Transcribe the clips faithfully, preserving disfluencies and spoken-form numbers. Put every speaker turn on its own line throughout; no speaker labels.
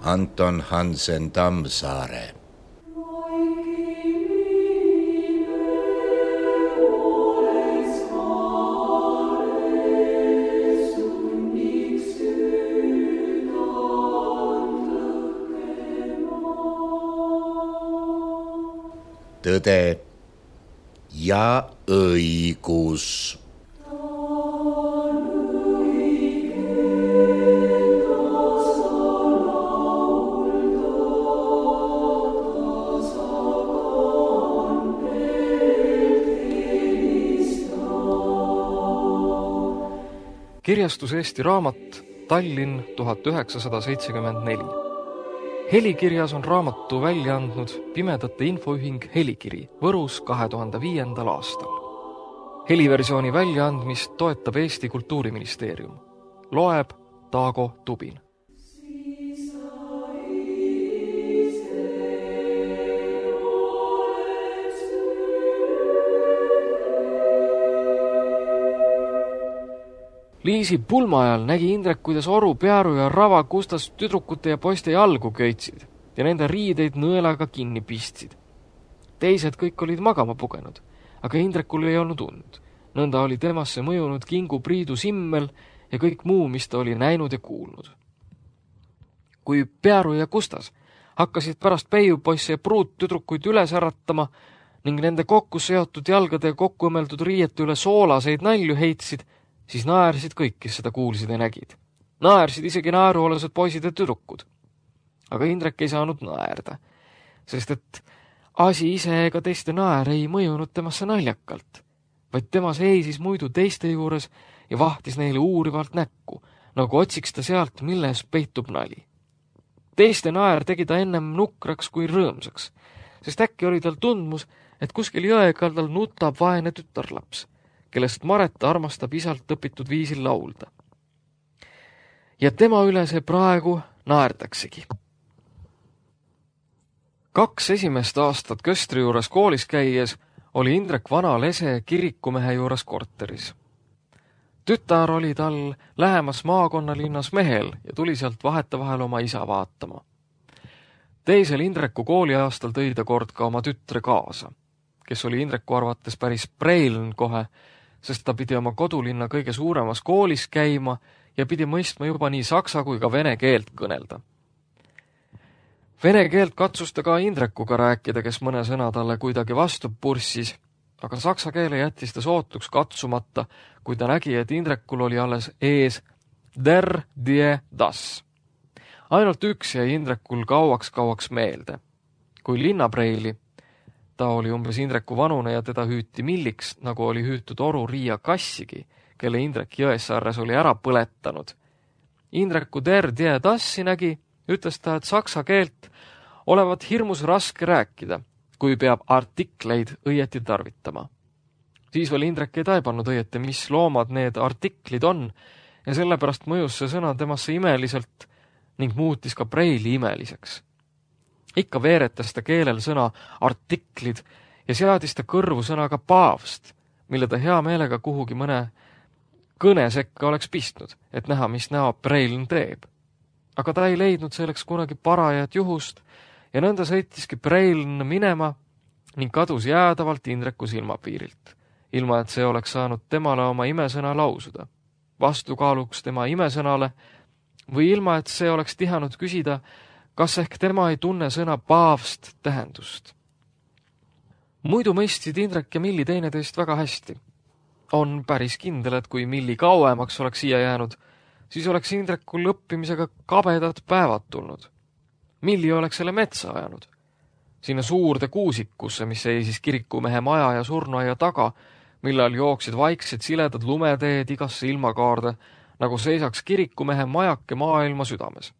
Anton Hansen Tammsaare. Tõde ja õigus.
Kirjastus Eesti Raamat, Tallinn tuhat üheksasada seitsekümmend neli. Helikirjas on raamatu välja andnud Pimedate Infoühing Helikiri Võrus kahe tuhande viiendal aastal. Heliversiooni väljaandmist toetab Eesti Kultuuriministeerium. Loeb Taago Tubin. Liisi pulma ajal nägi Indrek, kuidas Oru, Pearu ja Rava kustas tüdrukute ja poiste jalgu köitsid ja nende riideid nõelaga kinni pistsid. Teised kõik olid magama pugenud, aga Indrekul ei olnud und. Nõnda oli temasse mõjunud Kingu Priidu simmel ja kõik muu, mis ta oli näinud ja kuulnud. Kui Pearu ja Kustas hakkasid pärast peiupoisse ja pruut tüdrukuid üles äratama ning nende kokku seotud jalgade ja kokku õmmeldud riiete üle soolaseid nalju heitsid, siis naersid kõik, kes seda kuulsid ja nägid. Naersid isegi naeruolased poisid ja tüdrukud. Aga Indrek ei saanud naerda, sest et asi ise ega teiste naer ei mõjunud temasse naljakalt, vaid tema seisis muidu teiste juures ja vahtis neile uurivalt näkku, nagu otsiks ta sealt, milles peitub nali. Teiste naer tegi ta ennem nukraks kui rõõmsaks, sest äkki oli tal tundmus, et kuskil jõekaldal nutab vaene tütarlaps, kellest Mareta armastab isalt õpitud viisil laulda. Ja tema üle see praegu naerdaksegi. Kaks esimest aastat Köstri juures koolis käies oli Indrek vana lese kirikumehe juures korteris. Tütar oli tal lähemas maakonnalinnas Mehel ja tuli sealt vahetevahel oma isa vaatama. Teisel Indreku kooliaastal tõi ta kord ka oma tütre kaasa, kes oli Indreku arvates päris preiln kohe, sest ta pidi oma kodulinna kõige suuremas koolis käima ja pidi mõistma juba nii saksa kui ka vene keelt kõnelda. Vene keelt katsus ta ka Indrekuga rääkida, kes mõne sõna talle kuidagi vastu purssis, aga saksa keele jättis ta sootuks katsumata, kui ta nägi, et Indrekul oli alles ees der, die, das. Ainult üks jäi Indrekul kauaks-kauaks meelde. Kui linnapreili, ta oli umbes Indreku vanune ja teda hüüti milliks, nagu oli hüütud Oru Riia Kassigi, kelle Indrek Jõessaarres oli ära põletanud. Indreku der die tassi nägi, ütles ta, et saksa keelt olevat hirmus raske rääkida, kui peab artikleid õieti tarvitama. Siis veel Indrek ei taibanud õieti, mis loomad need artiklid on, ja sellepärast mõjus see sõna temasse imeliselt ning muutis ka preili imeliseks. Ikka veeretas ta keelel sõna artiklid ja seadis ta kõrvu sõnaga paavst, mille ta hea meelega kuhugi mõne kõne sekka oleks pistnud, et näha, mis näo preiln teeb. Aga ta ei leidnud selleks kunagi parajat juhust ja nõnda sõitiski preiln minema ning kadus jäädavalt Indreku silmapiirilt, ilma et see oleks saanud temale oma imesõna lausuda, vastukaaluks tema imesõnale või ilma, et see oleks tihanud küsida, kas ehk tema ei tunne sõna paavst tähendust. Muidu mõistsid Indrek ja Milli teineteist väga hästi. On päris kindel, et kui Milli kauemaks oleks siia jäänud, siis oleks Indrekul õppimisega kabedad päevad tulnud. Milli oleks selle metsa ajanud. Sinna suurde kuusikusse, mis seisis kirikumehe maja ja surnuaia taga, millal jooksid vaiksed siledad lumeteed igasse ilmakaarde, nagu seisaks kirikumehe majake maailma südames.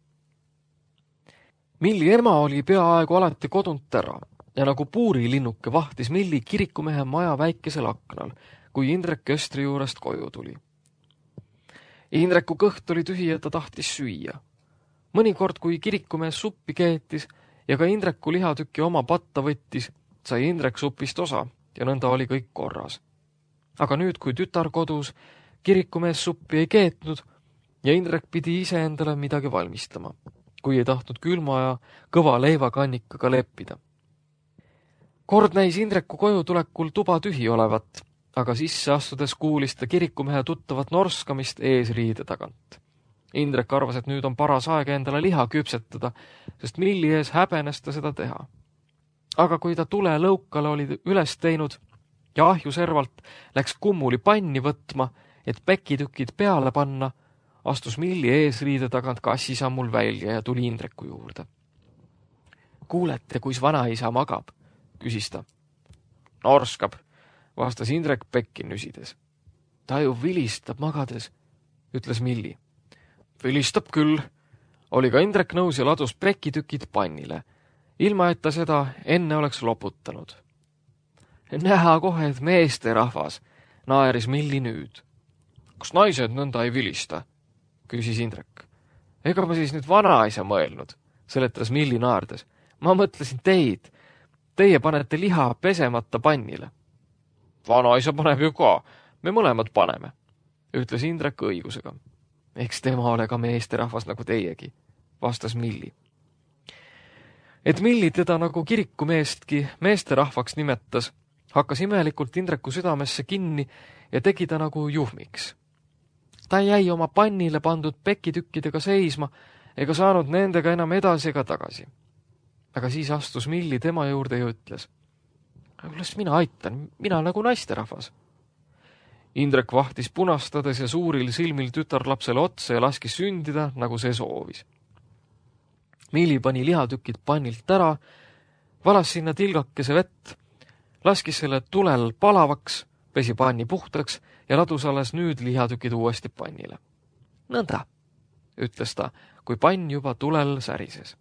Milli ema oli peaaegu alati kodunt ära ja nagu puurilinnuke vahtis Milli kirikumehe maja väikesel aknal, kui Indrek Köstri juurest koju tuli. Indreku kõht oli tühi ja ta tahtis süüa. Mõnikord, kui kirikumees suppi keetis ja ka Indreku lihatükki oma patta võttis, sai Indrek supist osa ja nõnda oli kõik korras. Aga nüüd, kui tütar kodus, kirikumees suppi ei keetnud ja Indrek pidi ise endale midagi valmistama. kui ei tahtnud külma ja kõva leivakannikaga leppida. Kord näis Indreku koju tulekul tuba tühi olevat, aga sisse astudes kuulis ta kirikumehe tuttavat norskamist eesriide tagant. Indrek arvas, et nüüd on paras aeg endale liha küpsetada, sest milli ees häbenes ta seda teha. Aga kui ta tule lõukale oli üles teinud ja ahjuservalt läks kummuli panni võtma, et pekitükid peale panna, astus milli eesriide tagant kassisammul välja ja tuli Indreku juurde. Kuulete, kuis vanaisa magab, küsis ta. Norskab, vastas Indrek pekki nüsides. Ta ju vilistab magades, ütles Milli. Vilistab küll, oli ka Indrek nõus ja ladus pekitükid pannile, ilma et ta seda enne oleks loputanud. Näha kohe, et meesterahvas, naeris Milli nüüd. Kas naised nõnda ei vilista? Küsis Indrek. Ega ma siis nüüd vanaisa mõelnud, seletas Milli naardes. Ma mõtlesin teid. Teie panete liha pesemata pannile. Vanaisa paneb ju ka, me mõlemad paneme, ütles Indrek õigusega. Eks tema ole ka meesterahvas nagu teiegi, vastas Milli. Et Milli teda nagu kirikumeestki meesterahvaks nimetas, hakkas imelikult Indreku südamesse kinni ja tegi ta nagu juhmiks. Ta jäi oma pannile pandud pekitükkidega seisma ega saanud nendega enam edasi ega tagasi. Aga siis astus Milli tema juurde ja ütles. Las mina aitan, mina nagu naisterahvas. Indrek vahtis punastades ja suuril silmil tütarlapsele otsa ja laskis sündida, nagu see soovis. Milli pani lihatükid pannilt ära, valas sinna tilgakese vett, laskis selle tulel palavaks, pesi panni puhtaks ja ladus alles nüüd lihatükid uuesti pannile. Nõnda, ütles ta, kui pann juba tulel särises.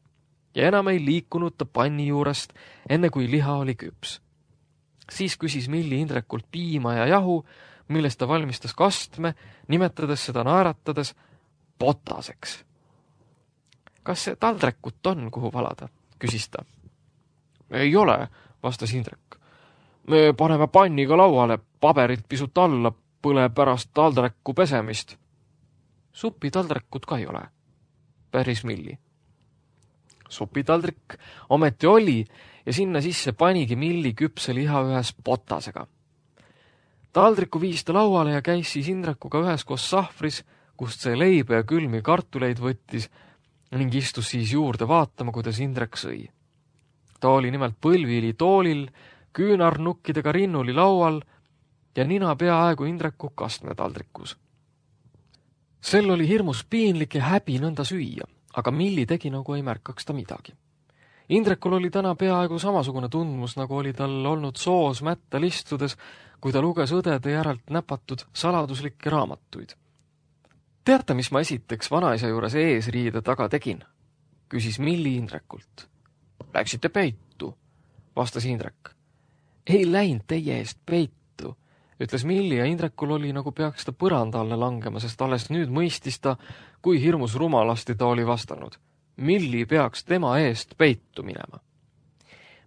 Ja enam ei liikunud ta panni juurest, enne kui liha oli küps. Siis küsis Milli Indrekult piima ja jahu, millest ta valmistas kastme, nimetades seda naeratades potaseks. Kas see taldrekut on, kuhu valada? Küsis ta. Ei ole, vastas Indrek. Me paneme panniga lauale, paberit pisut alla, põle pärast taldreku pesemist. Supi taldrekut ka ei ole, päris Milli. Supitaldrik ometi oli ja sinna sisse panigi Milli küpse liha ühes potasega. Taldriku viis ta lauale ja käis siis Indrekuga ühes koos sahvris, kust see leibe ja külmi kartuleid võttis ning istus siis juurde vaatama, kuidas Indrek sõi. Ta oli nimelt põlvili toolil, küünarnukkidega rinnuli laual ja nina peaaegu Indreku kastme taldrikus. Sel oli hirmus piinlik ja häbi nõnda süüa, aga Milli tegi nagu ei märkaks ta midagi. Indrekul oli täna peaaegu samasugune tundmus, nagu oli tal olnud soos mättal istudes, kui ta luges õdede järelt näpatud saladuslikke raamatuid. Teate, mis ma esiteks vanaisa juures eesriide taga tegin? Küsis Milli Indrekult. Läksite peitu, vastas Indrek. Ei läinud teie eest peitu, ütles Milli ja Indrekul oli nagu peaks ta põranda alle langema, sest alles nüüd mõistis ta, kui hirmus rumalasti ta oli vastanud. Milli peaks tema eest peitu minema.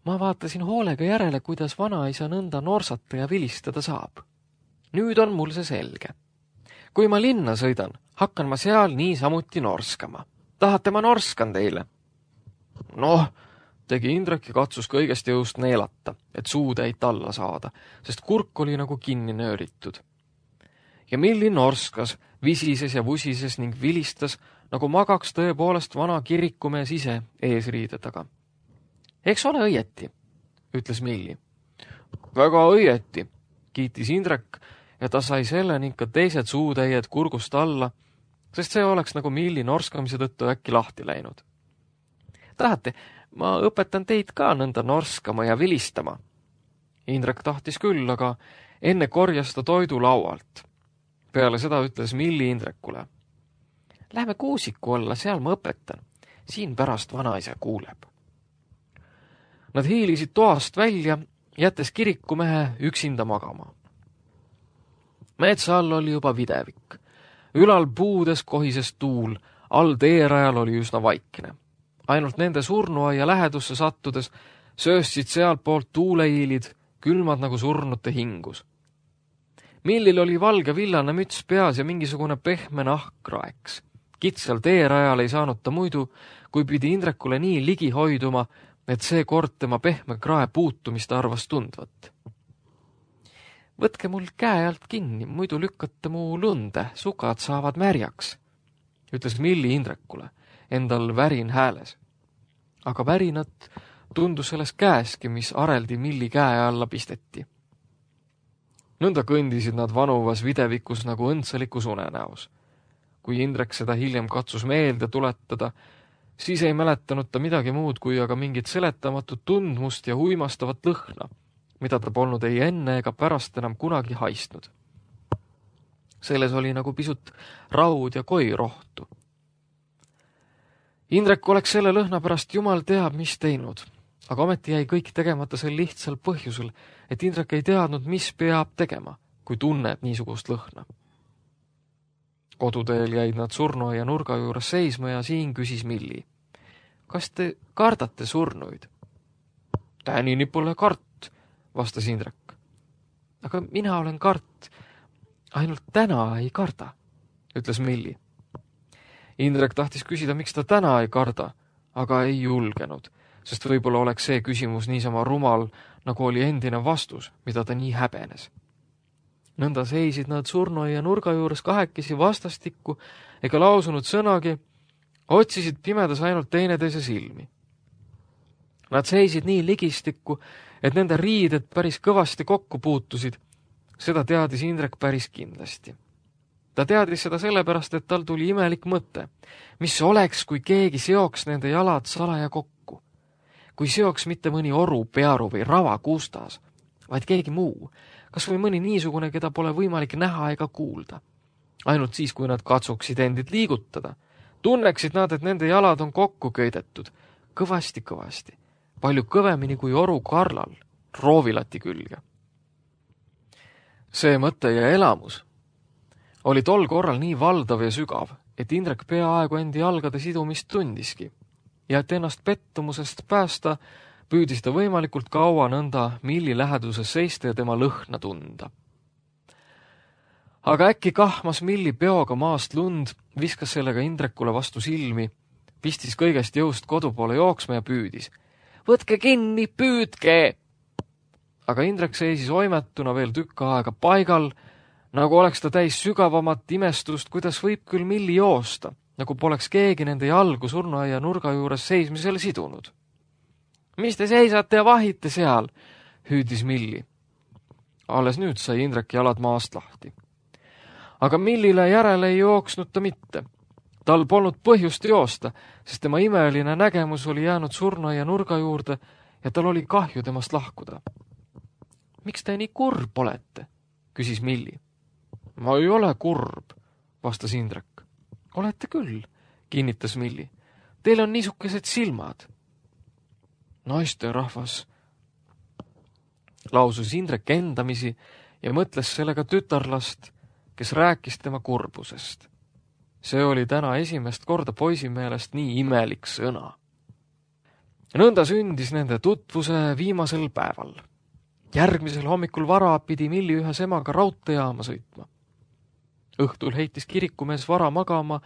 Ma vaatasin hoolega järele, kuidas vanaisa nõnda norsata ja vilistada saab. Nüüd on mul see selge. Kui ma linna sõidan, hakkan ma seal niisamuti norskama. Tahate ma norskan teile? Noh, tegi Indrek ja katsus kõigest jõust neelata, et suutäit alla saada, sest kurk oli nagu kinni nööritud. Ja Milli norskas, visises ja vusises ning vilistas, nagu magaks tõepoolest vana kirikumees ise eesriide taga. Eks ole õieti, ütles Milli. Väga õieti, kiitis Indrek ja ta sai selle ning ka teised suutäied kurgust alla, sest see oleks nagu Milli norskamise tõttu äkki lahti läinud. Tahate, ma õpetan teid ka nõnda norskama ja vilistama. Indrek tahtis küll, aga enne korjas ta toidu laualt. Peale seda ütles Milli Indrekule. Lähme kuusiku alla, seal ma õpetan. Siin pärast vanaisa kuuleb. Nad hiilisid toast välja, jättes kirikumehe üksinda magama. Metsa all oli juba videvik. Ülal puudes kohises tuul, all teerajal oli üsna vaikne. Ainult nende surnuaia lähedusse sattudes sööstsid sealt poolt tuuleiilid, külmad nagu surnute hingus. Millil oli valge villane müts peas ja mingisugune pehme nahk raeks. Kitsal teerajal ei saanud ta muidu, kui pidi Indrekule nii ligi hoiduma, et see kord tema pehme krae puutumist arvas tundvat. Võtke mul käe alt kinni, muidu lükkate mu lunde, sukad saavad märjaks, ütles Milli Indrekule, endal värin hääles. Aga värinat tundus selles käeski, mis areldi Milli käe alla pisteti. Nõnda kõndisid nad vanuvas videvikus nagu õndsalikus unenäos. Kui Indrek seda hiljem katsus meelde tuletada, siis ei mäletanud ta midagi muud kui aga mingit seletamatut tundmust ja huimastavat lõhna, mida ta polnud ei enne ega pärast enam kunagi haistnud. Selles oli nagu pisut raud ja koirohtu. Indrek oleks selle lõhna pärast jumal teab, mis teinud, aga ometi jäi kõik tegemata sel lihtsal põhjusel, et Indrek ei teadnud, mis peab tegema, kui tunneb niisugust lõhna. Koduteel jäid nad surnuaia nurga juures seisma ja siin küsis Milli. Kas te kardate surnuid? Tänini pole kart, vastas Indrek. Aga mina olen kart, ainult täna ei karda, ütles Milli. Indrek tahtis küsida, miks ta täna ei karda, aga ei julgenud, sest võib-olla oleks see küsimus niisama rumal, nagu oli endine vastus, mida ta nii häbenes. Nõnda seisid nad surnuaia nurga juures kahekesi vastastikku ega lausunud sõnagi, otsisid pimedas ainult teineteise silmi. Nad seisid nii ligistikku, et nende riided päris kõvasti kokku puutusid. Seda teadis Indrek päris kindlasti. Ta teadis seda sellepärast, et tal tuli imelik mõte, mis oleks, kui keegi seoks nende jalad salaja kokku. Kui seoks mitte mõni oru, pearu või rava kuustas, vaid keegi muu, kas või mõni niisugune, keda pole võimalik näha ega kuulda. Ainult siis, kui nad katsuksid endid liigutada, tunneksid nad, et nende jalad on kokku köidetud, kõvasti-kõvasti, palju kõvemini kui oru karlal, roovilati külge. See mõte ja elamus oli tol korral nii valdav ja sügav, et Indrek peaaegu endi jalgade sidumist tundiski ja et ennast pettumusest päästa, püüdis ta võimalikult kaua nõnda Milli läheduses seista ja tema lõhna tunda. Aga äkki kahmas Milli peoga maast lund, viskas sellega Indrekule vastu silmi, pistis kõigest jõust kodu poole jooksma ja püüdis. Võtke kinni, püüdke! Aga Indrek seisis oimetuna veel tükk aega paigal, nagu oleks ta täis sügavamat imestust, kuidas võib küll Milli joosta, nagu poleks keegi nende jalgu surnuaia nurga juures seismisele sidunud. Mis te seisate ja vahite seal, hüüdis Milli. Alles nüüd sai Indrek jalad maast lahti. Aga Millile järele ei jooksnud ta mitte. Tal polnud põhjust joosta, sest tema imeline nägemus oli jäänud surnuaia nurga juurde ja tal oli kahju temast lahkuda. Miks te nii kurb olete, küsis Milli. Ma ei ole kurb, vastas Indrek. Olete küll, kinnitas Milli. Teil on niisugused silmad. Naiste rahvas, lausus Indrek endamisi ja mõtles sellega tütarlast, kes rääkis tema kurbusest. See oli täna esimest korda poisi meelest nii imelik sõna. Nõnda sündis nende tutvuse viimasel päeval. Järgmisel hommikul vara pidi Milli ühes emaga raudteejaama sõitma. Õhtul heitis kirikumees vara magama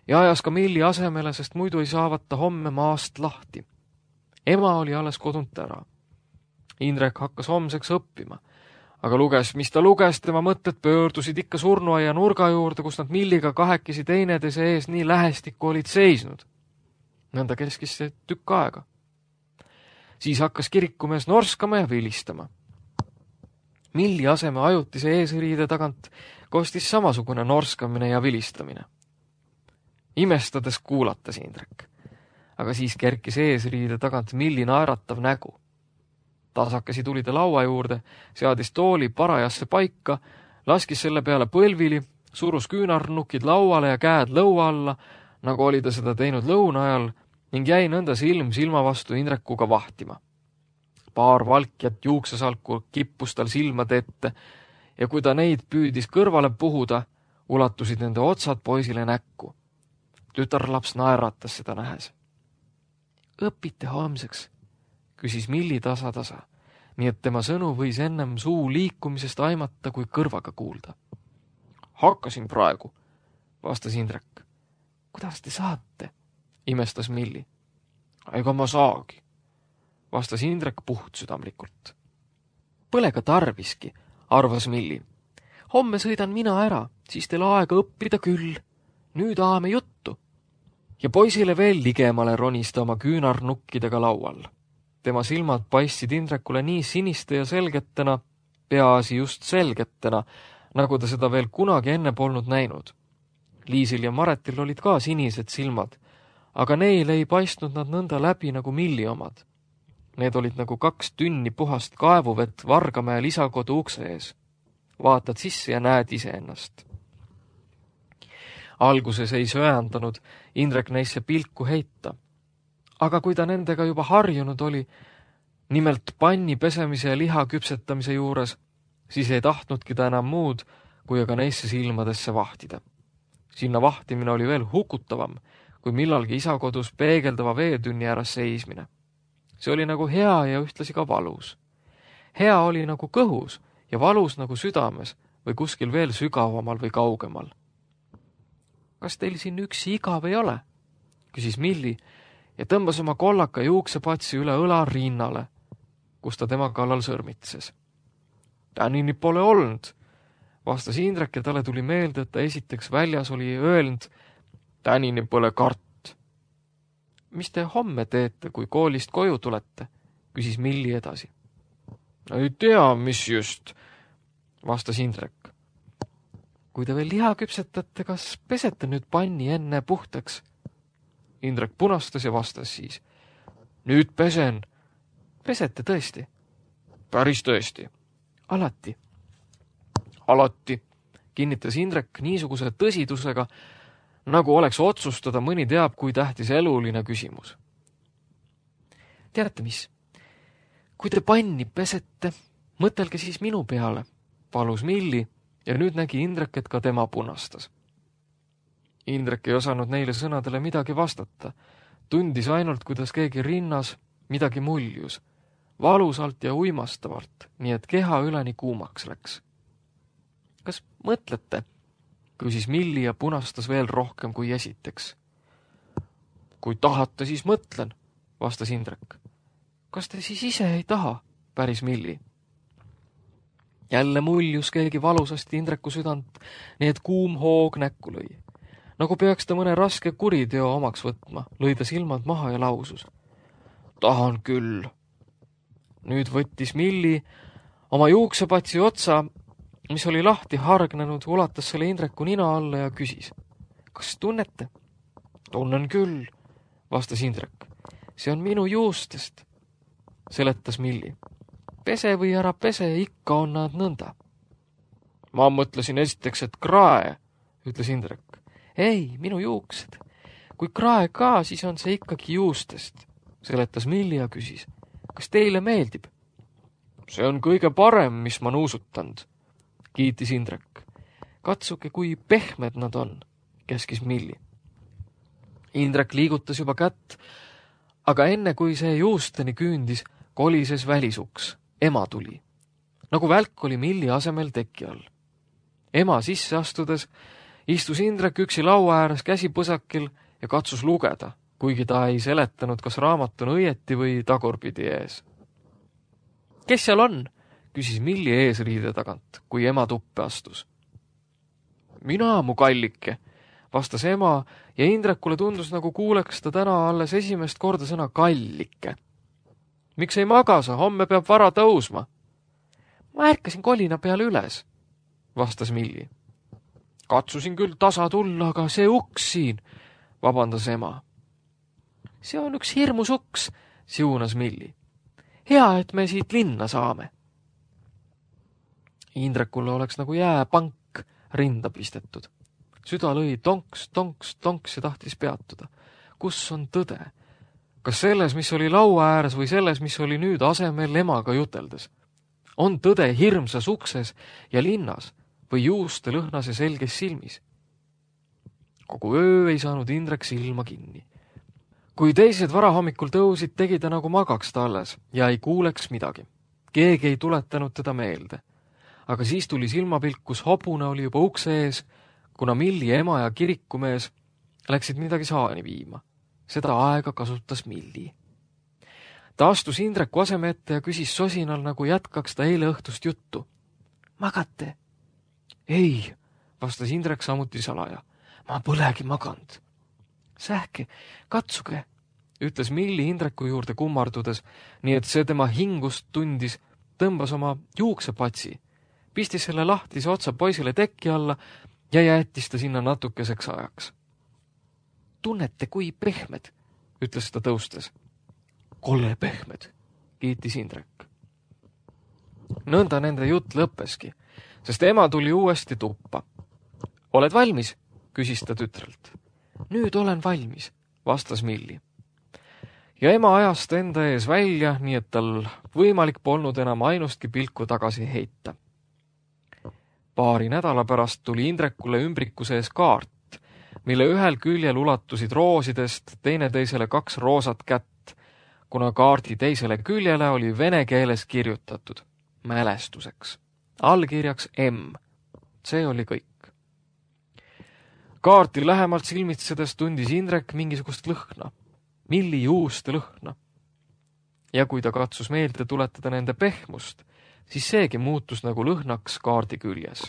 ja ajas ka Milli asemele, sest muidu ei saavat ta homme maast lahti. Ema oli alles kodunt ära. Indrek hakkas homseks õppima, aga luges, mis ta luges, tema mõtted pöördusid ikka surnuaia nurga juurde, kus nad Milliga kahekesi teineteise ees nii lähestikku olid seisnud. Nõnda keskis see tükk aega. Siis hakkas kirikumees norskama ja vilistama. Milli aseme ajutise eesriide tagant kostis samasugune norskamine ja vilistamine. Imestades kuulatas Indrek, aga siis kerkis eesriide tagant Milli naeratav nägu. Tasakesi tuli ta laua juurde, seadis tooli parajasse paika, laskis selle peale põlvili, surus küünarnukid lauale ja käed lõua alla, nagu oli ta seda teinud lõuna ajal, ning jäi nõnda silm silma vastu Indrekuga vahtima. Paar valkjat juuksesalku kippus tal silmade ette ja kui ta neid püüdis kõrvale puhuda, ulatusid nende otsad poisile näkku. Tütarlaps naeratas seda nähes. Õpite homseks, küsis Milli tasa-tasa, nii et tema sõnu võis ennem suu liikumisest aimata kui kõrvaga kuulda. Hakkasin praegu, vastas Indrek. kuidas te saate? Imestas Milli. Ega ma saagi, vastas Indrek puhtsüdamlikult. Pole ka tarviski, arvas Milli. Homme sõidan mina ära, siis teil aega õppida küll. Nüüd aame juttu. Ja poisile veel ligemale ronista oma küünarnukkidega laual. Tema silmad paistsid Indrekule nii siniste ja selgetena, peaasi just selgetena, nagu ta seda veel kunagi enne polnud näinud. Liisil ja Maretil olid ka sinised silmad, aga neil ei paistnud nad nõnda läbi nagu Milli omad. Need olid nagu kaks tünni puhast kaevuvett Vargamäe lisakodu ukse ees. Vaatad sisse ja näed iseennast. Alguses ei söandanud Indrek neisse pilku heita, aga kui ta nendega juba harjunud oli, nimelt panni pesemise ja liha küpsetamise juures, siis ei tahtnudki ta enam muud, kui aga neisse silmadesse vahtida. Sinna vahtimine oli veel hukutavam, kui millalgi isakodus peegeldava veetünni ääres seismine. See oli nagu hea ja ühtlasi ka valus. Hea oli nagu kõhus ja valus nagu südames või kuskil veel sügavamal või kaugemal. Kas teil siin üksi igav ei ole? Küsis Milli ja tõmbas oma kollaka juuksepatsi üle õla rinnale, kus ta tema kallal sõrmitses. Tänini pole olnud, vastas Indrek ja talle tuli meelde, et ta esiteks väljas oli öelnud, tänini pole kart. Mis te homme teete, kui koolist koju tulete? Küsis Milli edasi. Ei tea, mis just, vastas Indrek. Kui te veel liha küpsetate, kas pesete nüüd panni enne puhtaks? Indrek punastas ja vastas siis. Nüüd pesen. Pesete tõesti? Päris tõesti. Alati. Alati, kinnitas Indrek niisuguse tõsidusega, nagu oleks otsustada mõni teab, kui tähtis eluline küsimus. Teate mis? Kui te panni pesete, mõtelge siis minu peale, palus Milli ja nüüd nägi Indrek, et ka tema punastas. Indrek ei osanud neile sõnadele midagi vastata. Tundis ainult, kuidas keegi rinnas midagi muljus, valusalt ja uimastavalt, nii et keha üleni kuumaks läks. Kas mõtlete? Küsis Milli ja punastas veel rohkem kui esiteks. Kui tahate, siis mõtlen, vastas Indrek. Kas te siis ise ei taha? Päris Milli. Jälle muljus keegi valusasti Indreku südant, nii et kuum hoog näkku lõi. Nagu peaks ta mõne raske kuriteo omaks võtma, lõi ta silmad maha ja lausus. Tahan küll. Nüüd võttis Milli oma juuksepatsi otsa, mis oli lahti hargnenud, ulatas selle Indreku nina alla ja küsis. Kas tunnete? Tunnen küll, vastas Indrek. See on minu juustest, seletas Milli. Pese või ära pese, ikka on nad nõnda. Ma mõtlesin esiteks, et krae, ütles Indrek. Ei, minu juuksed. Kui krae ka, siis on see ikkagi juustest, seletas Milli ja küsis. Kas teile meeldib? See on kõige parem, mis ma nuusutanud, kiitis Indrek. Katsuke, kui pehmed nad on, käskis Milli. Indrek liigutas juba kätt, aga enne kui see juusteni küündis, kolises välisuks. Ema tuli. Nagu välk oli Milli asemel teki all. Ema sisse astudes istus Indrek üksi laua ääres käsipõsakil ja katsus lugeda, kuigi ta ei seletanud, kas raamat on õieti või tagurpidi ees. Kes seal on? Küsis Milli eesriide tagant, kui ema tuppe astus. Mina, mu kallike, vastas ema ja Indrekule tundus, nagu kuuleks ta täna alles esimest korda sõna kallike. Miks ei magasa? Homme peab vara tõusma. Ma ärkasin kolina peale üles, vastas Milli. Katsusin küll tasa tulla, aga see uks siin, vabandas ema. See on üks hirmus uks, siunas Milli. Hea, et me siit linna saame. Indrekule oleks nagu jääpank rinda pistetud. Süda lõi tonks, tonks, tonks ja tahtis peatuda. Kus on tõde? Kas selles, mis oli laua ääres või selles, mis oli nüüd asemel emaga juteldes? On tõde hirmsas ukses ja linnas või juuste lõhnas ja selges silmis? Kogu öö ei saanud Indrek silma kinni. Kui teised varahommikul tõusid, tegi ta nagu magaks ta alles ja ei kuuleks midagi. Keegi ei tuletanud teda meelde. Aga siis tuli silmapilk, kus hobune oli juba ukse ees, kuna Milli ema ja kirikumees läksid midagi saani viima. Seda aega kasutas Milli. Ta astus Indreku aseme ette ja küsis sosinal, nagu jätkaks ta eile õhtust juttu. Magate? Ei, vastas Indrek samuti salaja. Ma polegi maganud. Sähke, katsuge, ütles Milli Indreku juurde kummardudes, nii et see tema hingust tundis, tõmbas oma juuksepatsi, pistis selle lahtise otsa poisile tekki alla ja jättis ta sinna natukeseks ajaks. Tunnete, kui pehmed, ütles ta tõustes. Kolle pehmed, kiitis Indrek. Nõnda nende jutt lõppeski, sest ema tuli uuesti tuppa. Oled valmis? Küsis ta tütrelt. Nüüd olen valmis, vastas Milli. Ja ema ajas ta enda ees välja, nii et tal võimalik polnud enam ainustki pilku tagasi heita. Paari nädala pärast tuli Indrekule ümbrikuse ees kaart, mille ühel küljel ulatusid roosidest teineteisele kaks roosat kätt, kuna kaardi teisele küljele oli vene keeles kirjutatud mälestuseks, allkirjaks M. See oli kõik. Kaarti lähemalt silmitsedes tundis Indrek mingisugust lõhna, Milli juuste lõhna. Ja kui ta katsus meelde tuletada nende pehmust, siis seegi muutus nagu lõhnaks kaardi küljes.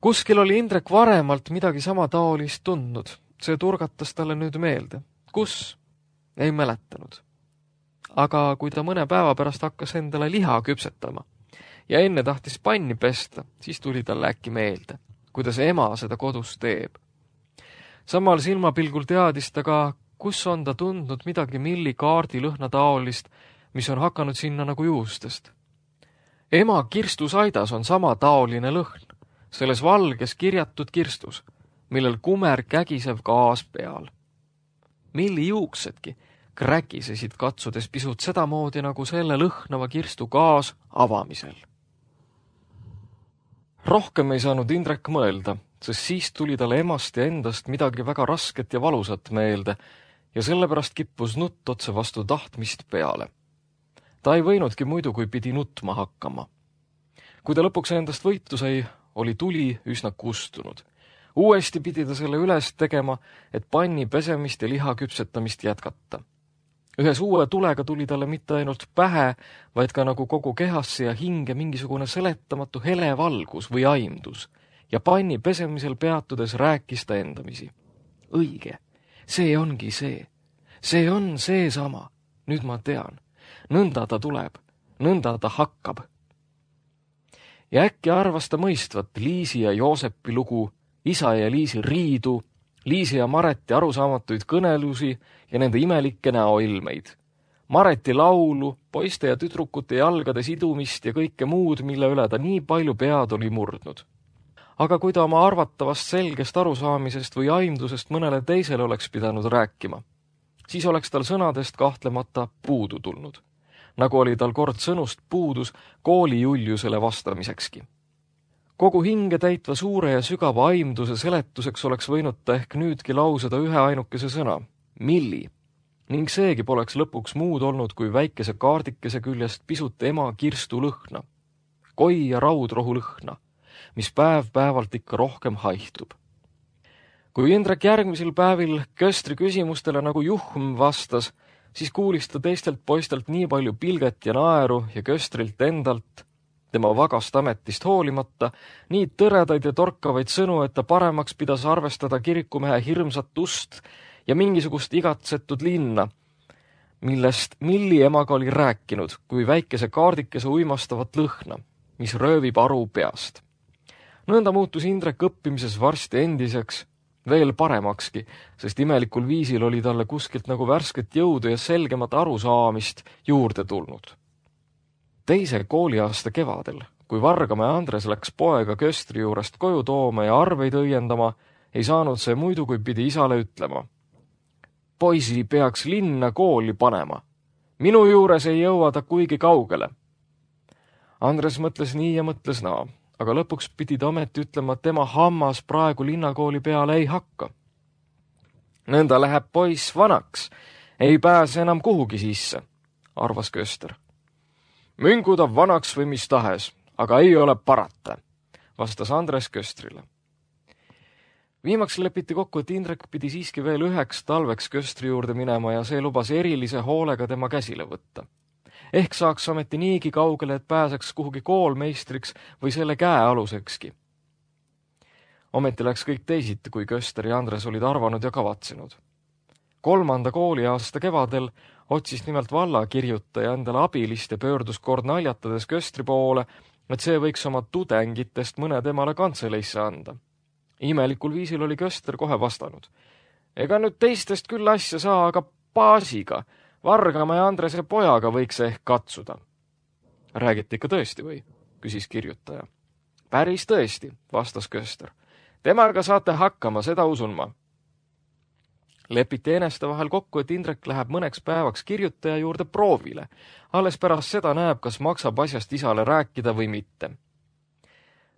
Kuskil oli Indrek varemalt midagi sama taolist tundnud. See turgatas talle nüüd meelde. Kus? Ei mäletanud. Aga kui ta mõne päeva pärast hakkas endale liha küpsetama ja enne tahtis panni pesta, siis tuli talle äkki meelde, kuidas ema seda kodus teeb. Samal silmapilgul teadis ta ka, kus on ta tundnud midagi Milli kaardi lõhna taolist, mis on hakanud sinna nagu juustest. Ema kirstusaidas on sama taoline lõhn, selles valges kirjatud kirstus, millel kumer kägisev gaas peal. Milli juuksedki kräkisesid katsudes pisut sedamoodi nagu selle lõhnava kirstu gaas avamisel. Rohkem ei saanud Indrek mõelda, sest siis tuli talle emast ja endast midagi väga rasket ja valusat meelde ja sellepärast kippus nutt otse vastu tahtmist peale. Ta ei võinudki muidu, kui pidi nutma hakkama. Kui ta lõpuks endast võitu sai, oli tuli üsna kustunud. Uuesti pidi ta selle üles tegema, et panni pesemist ja liha küpsetamist jätkata. Ühes uue tulega tuli talle mitte ainult pähe, vaid ka nagu kogu kehasse ja hinge mingisugune seletamatu hele valgus või aimdus ja panni pesemisel peatudes rääkis ta endamisi. Õige, see ongi see. See on see sama. Nüüd ma tean. Nõnda ta tuleb. Nõnda ta hakkab. Ja äkki arvas ta mõistvat Liisi ja Joosepi lugu, isa ja Liisi riidu, Liisi ja Mareti arusaamatuid kõnelusi ja nende imelikke näoilmeid. Mareti laulu, poiste ja tüdrukute jalgade sidumist ja kõike muud, mille üle ta nii palju pead oli murdnud. Aga kui ta oma arvatavast selgest arusaamisest või aimdusest mõnele teisele oleks pidanud rääkima, siis oleks tal sõnadest kahtlemata puudu tulnud, nagu oli tal kord sõnust puudus kooli Juliusele vastamisekski. Kogu hinge täitva suure ja sügava aimduse seletuseks oleks võinud ta ehk nüüdki lauseda ühe ainukese sõna, Milli, ning seegi poleks lõpuks muud olnud kui väikese kaardikese küljest pisut ema kirstu lõhna, koi ja raudrohu lõhna, mis päev päevalt ikka rohkem haihtub. Kui Indrek järgmisel päevil Köstri küsimustele nagu juhm vastas, siis kuulis ta teistelt poistelt nii palju pilget ja naeru ja Köstrilt endalt, tema vagast ametist hoolimata, nii tõredaid ja torkavaid sõnu, et ta paremaks pidas arvestada kirikumehe hirmsat ust ja mingisugust igatsetud linna, millest Milli emaga oli rääkinud, kui väikese kaardikese uimastavat lõhna, mis röövib aru peast. Nõnda muutus Indrek õppimises varsti endiseks, veel paremakski, sest imelikul viisil oli talle kuskilt nagu värsket jõudu ja selgemat arusaamist juurde tulnud. Teise kooliaasta kevadel, kui Vargamäe Andres läks poega Köstri juurest koju tooma ja arveid õiendama, ei saanud see muidu, kui pidi isale ütlema. Poisi peaks linna kooli panema. Minu juures ei jõua ta kuigi kaugele. Andres mõtles nii ja mõtles naa, aga lõpuks pidi ta ometi ütlema, et tema hammas praegu linnakooli peale ei hakka. Nõnda läheb poiss vanaks, ei pääse enam kuhugi sisse, arvas Köster. Müngu ta vanaks või mis tahes, aga ei ole parata, vastas Andres Köstrile. Viimaks lepiti kokku, et Indrek pidi siiski veel üheks talveks köstri juurde minema ja see lubas erilise hoolega tema käsile võtta. Ehk saaks ameti niigi kaugele, et pääseks kuhugi koolmeistriks või selle käe alusekski. Ometi läks kõik teisiti, kui Köster ja Andres olid arvanud ja kavatsenud. Kolmanda kooliaasta kevadel otsis nimelt vallakirjutaja endale abilist ja pöördus kord naljatades Köstri poole, et see võiks oma tudengitest mõne temale kantseleisse anda. Imelikul viisil oli Köster kohe vastanud. Ega nüüd teistest küll asja saa, aga baasiga, Vargama ja Andrese pojaga võiks ehk katsuda. Räägiti ikka tõesti või? Küsis kirjutaja. Päris tõesti, vastas Köster. Temaga saate hakkama, seda usun ma. Lepiti eneste vahel kokku, et Indrek läheb mõneks päevaks kirjutaja juurde proovile. Alles pärast seda näeb, kas maksab asjast isale rääkida või mitte.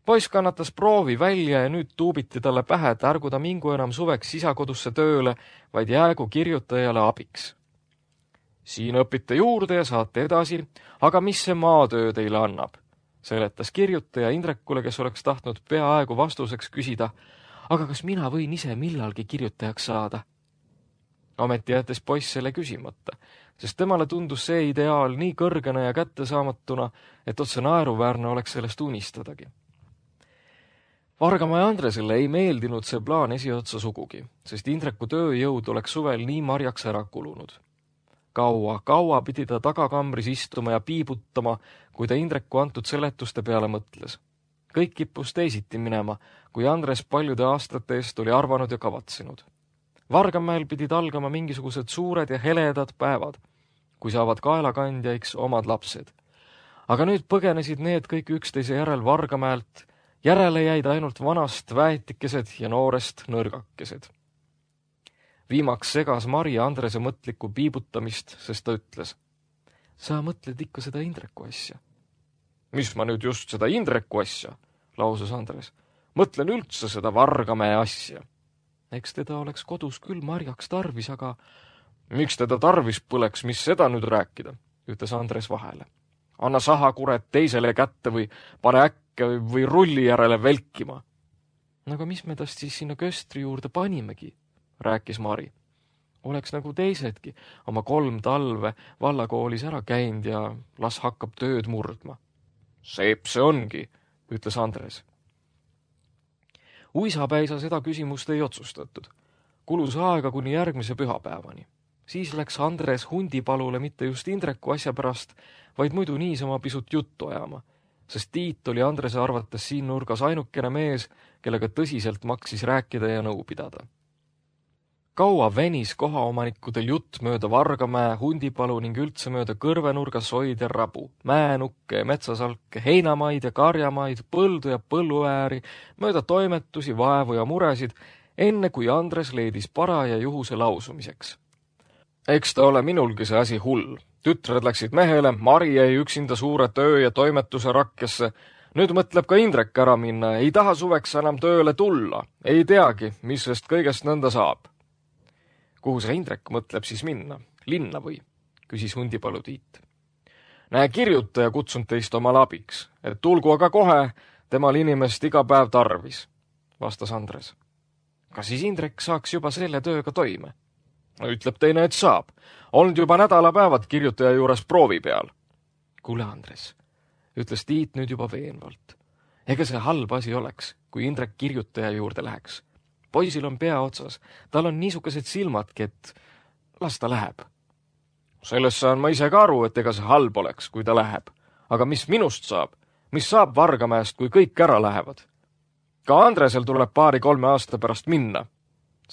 Poiss kannatas proovi välja ja nüüd tuubiti talle pähe, et ärgu ta mingu enam suveks isakodusse tööle, vaid jäägu kirjutajale abiks. Siin õpite juurde ja saate edasi, aga mis see maatöö teile annab? Seletas kirjutaja Indrekule, kes oleks tahtnud peaaegu vastuseks küsida, aga kas mina võin ise millalgi kirjutajaks saada? Ometi jättes poiss selle küsimata, sest temale tundus see ideaal nii kõrgena ja kättesaamatuna, et otse naeruväärne oleks sellest unistadagi. Vargama ja Andresele ei meeldinud see plaan esiotsa sugugi, sest Indreku tööjõud oleks suvel nii marjaks ära kulunud. Kaua, kaua pidi ta tagakambris istuma ja piibutama, kui ta Indreku antud seletuste peale mõtles. Kõik kippus teisiti minema, kui Andres paljude aastate eest oli arvanud ja kavatsenud. Vargamäel pidid algama mingisugused suured ja heledad päevad, kui saavad kaelakandjaiks omad lapsed. Aga nüüd põgenesid need kõik üksteise järel Vargamäelt, järele jäid ainult vanast väetikesed ja noorest nõrgakesed. Viimaks segas Mari Andrese mõtlikku piibutamist, sest ta ütles, sa mõtled ikka seda Indreku asja. Mis ma nüüd just seda Indreku asja, lausus Andres. Mõtlen üldse seda Vargamäe asja. Eks teda oleks kodus küll marjaks tarvis, aga miks teda tarvis põleks, mis seda nüüd rääkida, ütles Andres vahele. Anna sahakuret teisele kätte või pane äkke või rulli järele velkima. Aga mis me tast siis sinna Köstri juurde panimegi, rääkis Mari. Oleks nagu teisedki oma kolm talve vallakoolis ära käinud ja las hakkab tööd murdma. Seep see ongi, ütles Andres. Uisapäisa seda küsimust ei otsustatud. Kulus aega kuni järgmise pühapäevani. Siis läks Andres hundipalule mitte just Indreku asja pärast, vaid muidu niisama pisut juttu ajama, sest Tiit oli Andrese arvates siin nurgas ainukene mees, kellega tõsiselt maksis rääkida ja nõu pidada. Kaua venis kohaomanikudel jutt mööda Vargamäe, hundipalu ning üldse mööda kõrvenurga soid ja rabu, mäenukke ja metsasalke, heinamaid ja karjamaid, põldu ja põlluääri, mööda toimetusi, vaevu ja muresid, enne kui Andres leidis paraja juhuse lausumiseks. Eks ta ole minulgi see asi hull. Tütred läksid mehele, Mari jäi üksinda suure töö ja toimetuse rakkesse. Nüüd mõtleb ka Indrek ära minna, ei taha suveks enam tööle tulla. Ei teagi, mis sest kõigest nõnda saab. Kuhu see Indrek mõtleb siis minna? Linna või? Küsis hundipalu Tiit. Näe, kirjutaja kutsunud teist omal abiks, et tulgu aga kohe, temal inimest iga päev tarvis, vastas Andres. Kas siis Indrek saaks juba selle tööga toime? No, ütleb teine, et saab. Olnud juba nädalapäevad kirjutaja juures proovi peal. Kuule, Andres, ütles Tiit nüüd juba veenvalt. Ega see halb asi oleks, kui Indrek kirjutaja juurde läheks. Poisil on pea otsas, tal on niisugused silmadki, et las ta läheb. Sellest saan ma ise ka aru, et ega see halb oleks, kui ta läheb. Aga mis minust saab? Mis saab Vargamäest, kui kõik ära lähevad? Ka Andresel tuleb paari-kolme aasta pärast minna,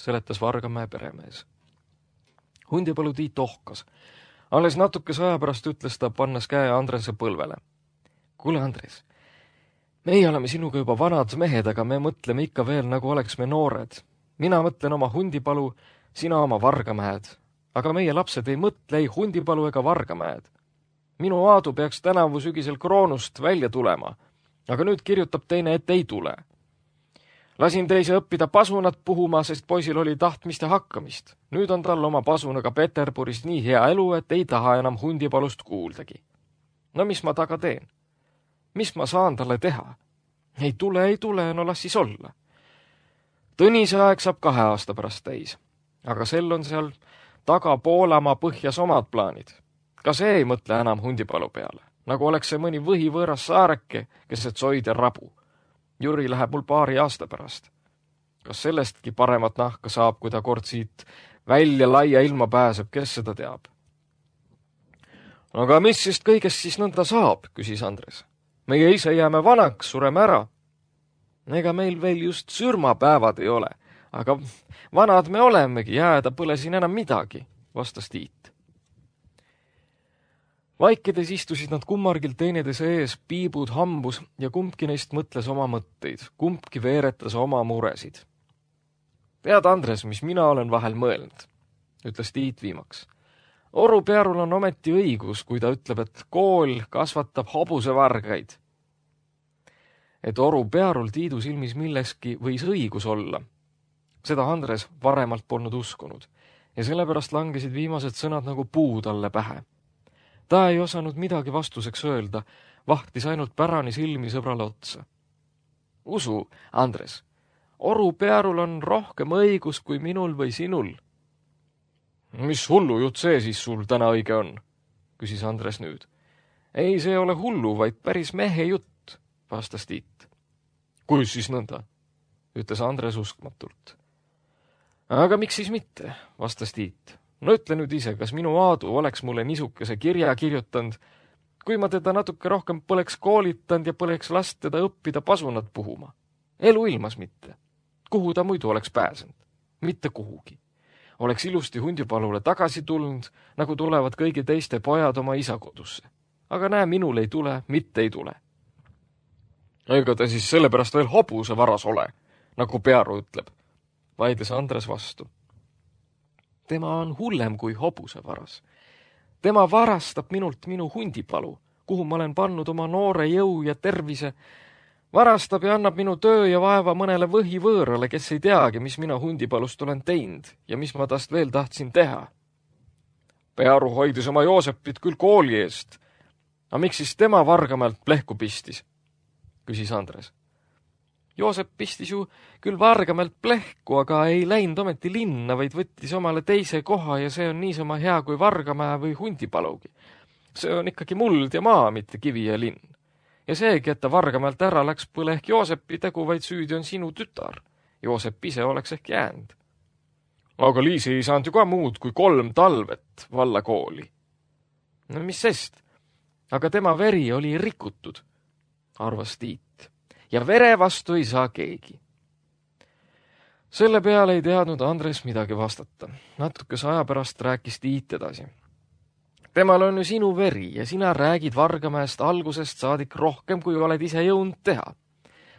seletas Vargamäe peremees. Hundipalu Tiit ohkas. Alles natukese aja pärast ütles ta, pannes käe Andrese põlvele. Kuule, Andres, meie oleme sinuga juba vanad mehed, aga me mõtleme ikka veel, nagu oleks me noored. Mina mõtlen oma hundipalu, sina oma Vargamäed. Aga meie lapsed ei mõtle ei hundipalu ega Vargamäed. Minu Aadu peaks tänavu sügisel kroonust välja tulema, aga nüüd kirjutab teine, et ei tule. Lasin teise õppida pasunat puhuma, sest poisil oli tahtmist ja hakkamist. Nüüd on tal oma pasunaga Peterburist nii hea elu, et ei taha enam hundipalust kuuldagi. No mis ma taga teen? Mis ma saan talle teha? Ei tule, ei tule, no las siis olla. Tõnise aeg saab kahe aasta pärast täis, aga sel on seal taga Poolamaa põhjas omad plaanid. Ka see ei mõtle enam hundipalu peale, nagu oleks see mõni võhivõõras saareke, keset soid ja rabu. Jüri läheb mul paari aasta pärast. Kas sellestki paremat nahka saab, kui ta kord siit välja laia ilma pääseb, kes seda teab? Aga mis sest kõigest siis nõnda saab, küsis Andres. Meie ise jääme vanaks, sureme ära. Ega meil veel just sürmapäevad ei ole, aga vanad me olemegi, jääda pole siin enam midagi, vastas Tiit. Vaikides istusid nad kummargil teineteise ees, piibud hambus ja kumbki neist mõtles oma mõtteid, kumbki veeretas oma muresid. Tead, Andres, mis mina olen vahel mõelnud, ütles Tiit viimaks. Oru Pearul on ometi õigus, kui ta ütleb, et kool kasvatab hobusevargaid. Et Oru Pearul Tiidu silmis milleski võis õigus olla. Seda Andres varemalt polnud uskunud ja sellepärast langesid viimased sõnad nagu puu talle pähe. Ta ei osanud midagi vastuseks öelda, vahtis ainult pärani silmi sõbrale otsa. Usu, Andres, Oru Pearul on rohkem õigus kui minul või sinul. Mis hullu jutt see siis sul täna õige on, küsis Andres nüüd. Ei, see ole hullu, vaid päris mehe jutt, vastas Tiit. Kuis siis nõnda, ütles Andres uskmatult. Aga miks siis mitte, vastas Tiit. No ütle nüüd ise, kas minu Aadu oleks mulle nisukese kirja kirjutanud, kui ma teda natuke rohkem poleks koolitanud ja poleks last teda õppida pasunat puhuma. Elu ilmas mitte. Kuhu ta muidu oleks pääsenud? Mitte kuhugi. Oleks ilusti hundipalule tagasi tulnud, nagu tulevad kõigi teiste pojad oma isa kodusse. Aga näe, minul ei tule, mitte ei tule. Ega ta siis sellepärast veel hobuse varas ole, nagu Pearu ütleb, vaidles Andres vastu. Tema on hullem kui hobuse varas. Tema varastab minult minu hundipalu, kuhu ma olen pannud oma noore jõu ja tervise, varastab ja annab minu töö ja vaeva mõnele võhivõõrale, kes ei teagi, mis mina hundipalust olen teinud ja mis ma tast veel tahtsin teha. Pearu hoidis oma Joosepit küll kooli eest. A miks siis tema Vargamäelt plehku pistis? Küsis Andres. Joosep pistis ju küll Vargamäelt plehku, aga ei läinud ometi linna, vaid võttis omale teise koha ja see on niisama hea kui Vargamäe või hundipalugi. See on ikkagi muld ja maa, mitte kivi ja linn. Ja seegi, et ta Vargamäelt ära läks, pole ehk Joosepi tegu, vaid süüdi on sinu tütar. Joosep ise oleks ehk jäänud. Aga Liisi ei saanud ju ka muud kui kolm talvet valla kooli. No mis sest? Aga tema veri oli rikutud, arvas Tiit. Ja vere vastu ei saa keegi. Selle peale ei teadnud Andres midagi vastata. Natukese aja pärast rääkis Tiit edasi. Temal on ju sinu veri ja sina räägid Vargamäest algusest saadik rohkem, kui oled ise jõudnud teha.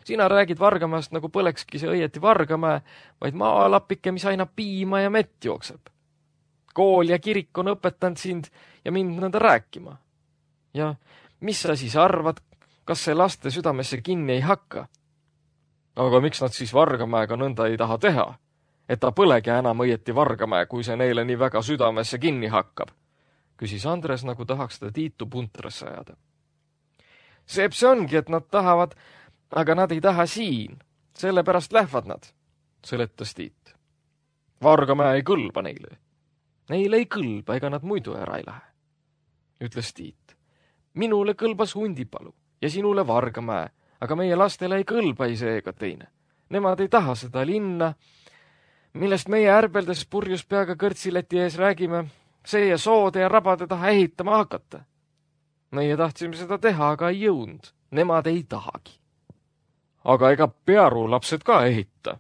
Sina räägid Vargamäest nagu põlekski see õieti Vargamäe, vaid maalapike, mis aina piima ja mett jookseb. Kool ja kirik on õpetanud sind ja mind nõnda rääkima. Ja mis sa siis arvad, kas see laste südamesse kinni ei hakka? Aga miks nad siis Vargamäega nõnda ei taha teha? Et ta põlegi enam õieti Vargamäe, kui see neile nii väga südamesse kinni hakkab, küsis Andres, nagu tahaks ta Tiitu puntrasse ajada. Seep see ongi, et nad tahavad, aga nad ei taha siin. Sellepärast lähevad nad, seletas Tiit. Vargamäe ei kõlba neile. Neile ei kõlba, ega nad muidu ära ei lähe, ütles Tiit. Minule kõlbas hundipalu ja sinule Vargamäe, aga meie lastele ei kõlba ei see ega teine. Nemad ei taha seda linna, millest meie ärbeldes purjus peaga kõrtsileti ees räägime, see ja soode ja rabade taha ehitama hakata. Meie tahtsime seda teha, aga ei jõudnud. Nemad ei tahagi. Aga ega Pearu lapsed ka ehita,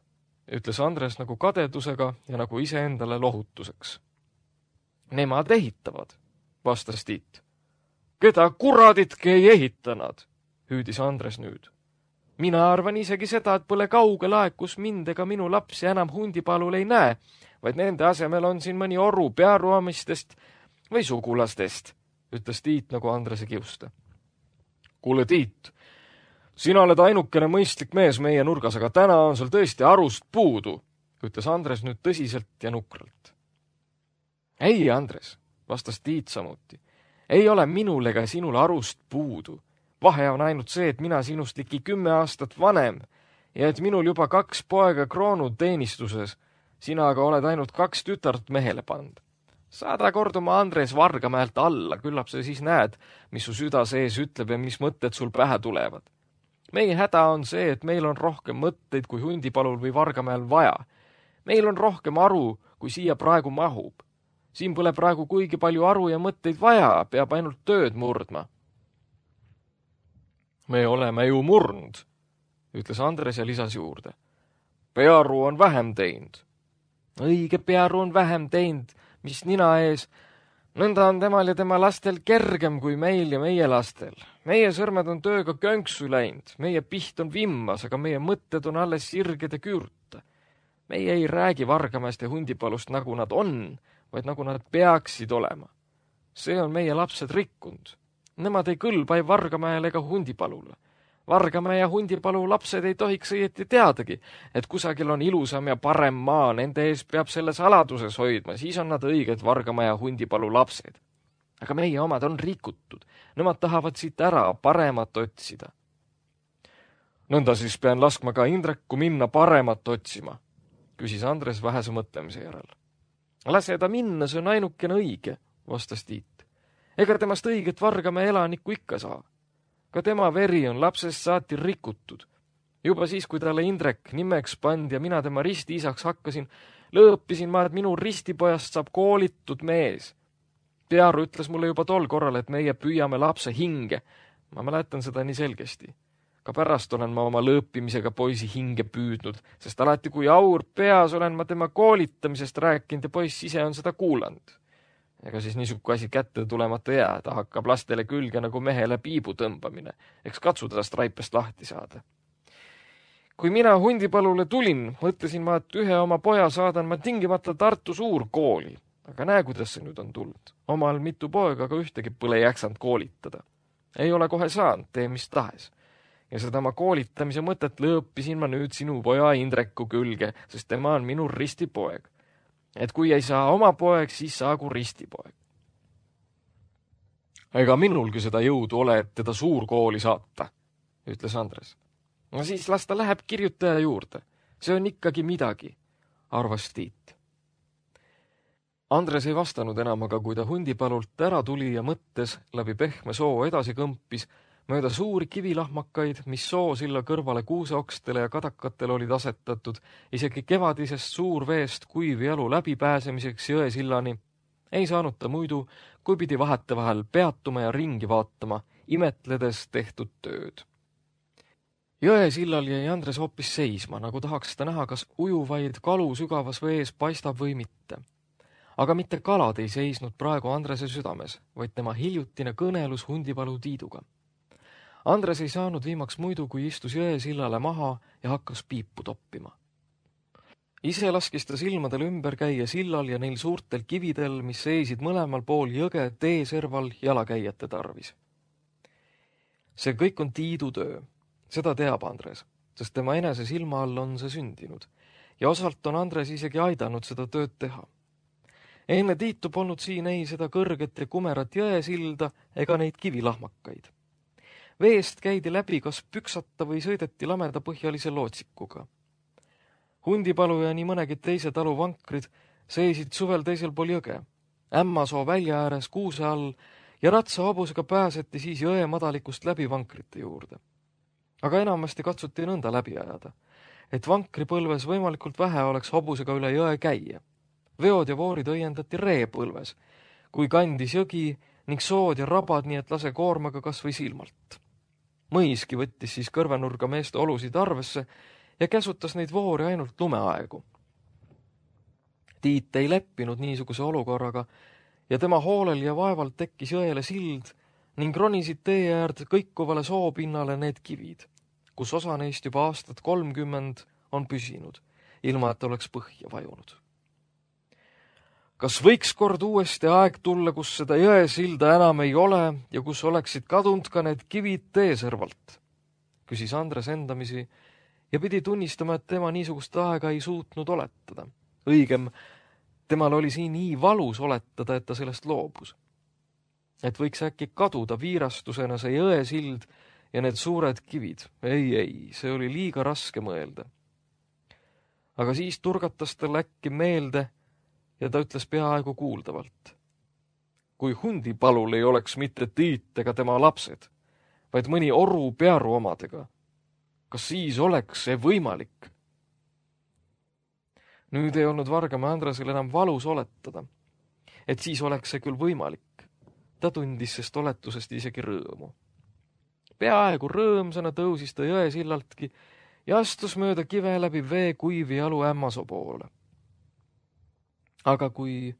ütles Andres nagu kadedusega ja nagu iseendale lohutuseks. Nemad ehitavad, vastas Tiit. Keda kuraditki ei ehitanud, hüüdis Andres nüüd. Mina arvan isegi seda, et pole kaugel aeg, kus mind ega minu lapsi enam hundipalul ei näe, vaid nende asemel on siin mõni Oru Pearu omistest või sugulastest, ütles Tiit nagu Andrese kiusta. Kuule, Tiit, sina oled ainukene mõistlik mees meie nurgas, aga täna on sul tõesti arust puudu, ütles Andres nüüd tõsiselt ja nukralt. Ei, Andres, vastas Tiit samuti. Ei ole minul ega sinul arust puudu. Vahe on ainult see, et mina sinust ligi kümme aastat vanem ja et minul juba kaks poega kroonud teenistuses, sina aga oled ainult kaks tütart mehele pand. Saada kord oma Andres Vargamäelt alla, küllap sa siis näed, mis su süda sees ütleb ja mis mõtted sul pähe tulevad. Meie häda on see, et meil on rohkem mõtteid kui Hundipalul või Vargamäel vaja. Meil on rohkem aru, kui siia praegu mahub. Siin pole praegu kuigi palju aru ja mõtteid vaja, peab ainult tööd murdma. Me oleme ju murnud, ütles Andres ja lisas juurde. Pearu on vähem teinud. Õige, Pearu on vähem teinud, mis nina ees. Nõnda on temal ja tema lastel kergem kui meil ja meie lastel. Meie sõrmed on tööga könksu läinud, meie piht on vimmas, aga meie mõtted on alles sirged ja küürta. Meie ei räägi Vargamäest ja Hundipalust, nagu nad on, vaid nagu nad peaksid olema. See on meie lapsed rikkunud. Nemad ei kõlba ei Vargamäele ega Hundipalule. Vargamäe ja Hundipalu lapsed ei tohiks õieti teadagi, et kusagil on ilusam ja parem maa, nende ees peab selle saladuses hoidma, siis on nad õiged Vargamäe ja Hundipalu lapsed. Aga meie omad on rikutud, nemad tahavad siit ära paremat otsida. Nõnda siis pean laskma ka Indreku minna paremat otsima, küsis Andres vähese mõtlemise järel. Lase ta minna, see on ainukene õige, vastas Tiit. Ega temast õiget Vargamäe elanikku ikka saa. Ka tema veri on lapsest saati rikutud. Juba siis, kui talle Indrek nimeks pandi ja mina tema ristiisaks hakkasin, lõõpisin ma, et minu ristipojast saab koolitud mees. Pearu ütles mulle juba tol korral, et meie püüame lapse hinge. Ma mäletan seda nii selgesti. Ka pärast olen ma oma lõõpimisega poisi hinge püüdnud, sest alati kui aur peas olen ma tema koolitamisest rääkinud ja poiss ise on seda kuulanud. Ega siis niisugu asi kätte tulemata jää, ta hakkab lastele külge nagu mehele piibu tõmbamine, eks katsu tast raipest lahti saada. Kui mina Hundipalule tulin, mõtlesin ma, et ühe oma poja saadan ma tingimata Tartu suurkooli, aga näe, kuidas see nüüd on tulnud. Omal mitu poega, aga ühtegi pole jaksanud koolitada. Ei ole kohe saanud, tee mis tahes. Ja seda ma koolitamise mõtet lõõpisin ma nüüd sinu poja Indreku külge, sest tema on minu ristipoeg. Et kui ei saa oma poeg, siis saagu ristipoeg. Ega minulgi seda jõudu ole, et teda suurkooli saata, ütles Andres. No siis las ta läheb kirjutaja juurde. See on ikkagi midagi, arvas Tiit. Andres ei vastanud enam, aga kui ta Hundipalult ära tuli ja mõttes läbi pehme soo edasi kõmpis, mööda suuri kivilahmakaid, mis soosilla kõrvale kuuseokstele ja kadakatele olid asetatud, isegi kevadisest suurveest kuivi jalu läbipääsemiseks jõesillani, ei saanud ta muidu, kui pidi vahete vahel peatuma ja ringi vaatama, imetledes tehtud tööd. Jõesillal jäi Andres hoopis seisma, nagu tahaks ta näha, kas ujuvaid kalu sügavas vees paistab või mitte. Aga mitte kalad ei seisnud praegu Andrese südames, vaid tema hiljutine kõnelus Hundipalu Tiiduga. Andres ei saanud viimaks muidu, kui istus jõesillale maha ja hakkas piipu toppima. Ise laskis ta silmadel ümber käia sillal ja neil suurtel kividel, mis seisid mõlemal pool jõge teeserval jalakäijate tarvis. See kõik on Tiidu töö, seda teab Andres, sest tema enese silma all on see sündinud ja osalt on Andres isegi aidanud seda tööd teha. Enne Tiitu polnud siin ei seda kõrget ja kumerat jõesilda ega neid kivilahmakaid. Veest käidi läbi kas püksata või sõideti lamedapõhjalise lootsikuga. Hundipalu ja nii mõnegi teise talu vankrid seisid suvel teisel pool jõge, Ämmasoo välja ääres kuuse all ja ratsahobusega pääseti siis jõe madalikust läbi vankrite juurde. Aga enamasti katsuti nõnda läbi ajada, et vankripõlves võimalikult vähe oleks hobusega üle jõe käia. Veod ja voorid õiendati reepõlves, kui kandis jõgi ning sood ja rabad, nii et lase koormaga kas või silmalt. Mõiski võttis siis kõrvenurga meeste olusid arvesse ja käsutas neid voori ainult lumeaegu. Tiit ei leppinud niisuguse olukorraga ja tema hoolel ja vaevalt tekkis jõele sild ning ronisid tee äärde kõikuvale soopinnale need kivid, kus osa neist juba aastat kolmkümmend on püsinud, ilma et oleks põhja vajunud. Kas võiks kord uuesti aeg tulla, kus seda jõesilda enam ei ole ja kus oleksid kadunud ka need kivid teeservalt? Küsis Andres endamisi ja pidi tunnistama, et tema niisugust aega ei suutnud oletada. Õigem, temal oli siin nii valus oletada, et ta sellest loobus. Et võiks äkki kaduda viirastusena see jõesild ja need suured kivid. Ei, ei, see oli liiga raske mõelda. Aga siis turgatas tal äkki meelde ja ta ütles peaaegu kuuldavalt. Kui Hundipalul ei oleks mitte Tiit ega tema lapsed, vaid mõni oru pearu omadega, kas siis oleks see võimalik? Nüüd ei olnud Vargamäe Andresel enam valus oletada, et siis oleks see küll võimalik. Ta tundis sest oletusest isegi rõõmu. Peaaegu rõõmsana tõusis ta jõesillaltki ja astus mööda kive läbi vee kuivi jalu Ämmasoo poole. Aga kui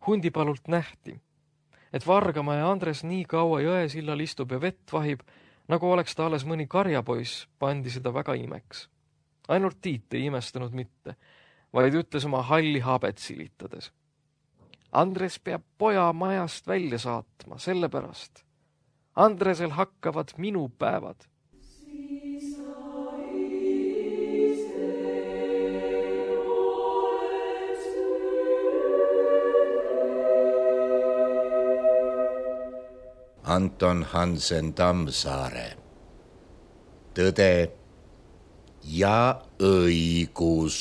Hundipalult nähti, et Vargamäe Andres nii kaua jõesillal istub ja vett vahib, nagu oleks ta alles mõni karjapoiss, pandi seda väga imeks. Ainult Tiit ei imestanud mitte, vaid ütles oma halli habet silitades. Andres peab poja majast välja saatma, sellepärast. Andresel hakkavad minu päevad.
Anton Hansen Tammsaare. Tõde ja õigus.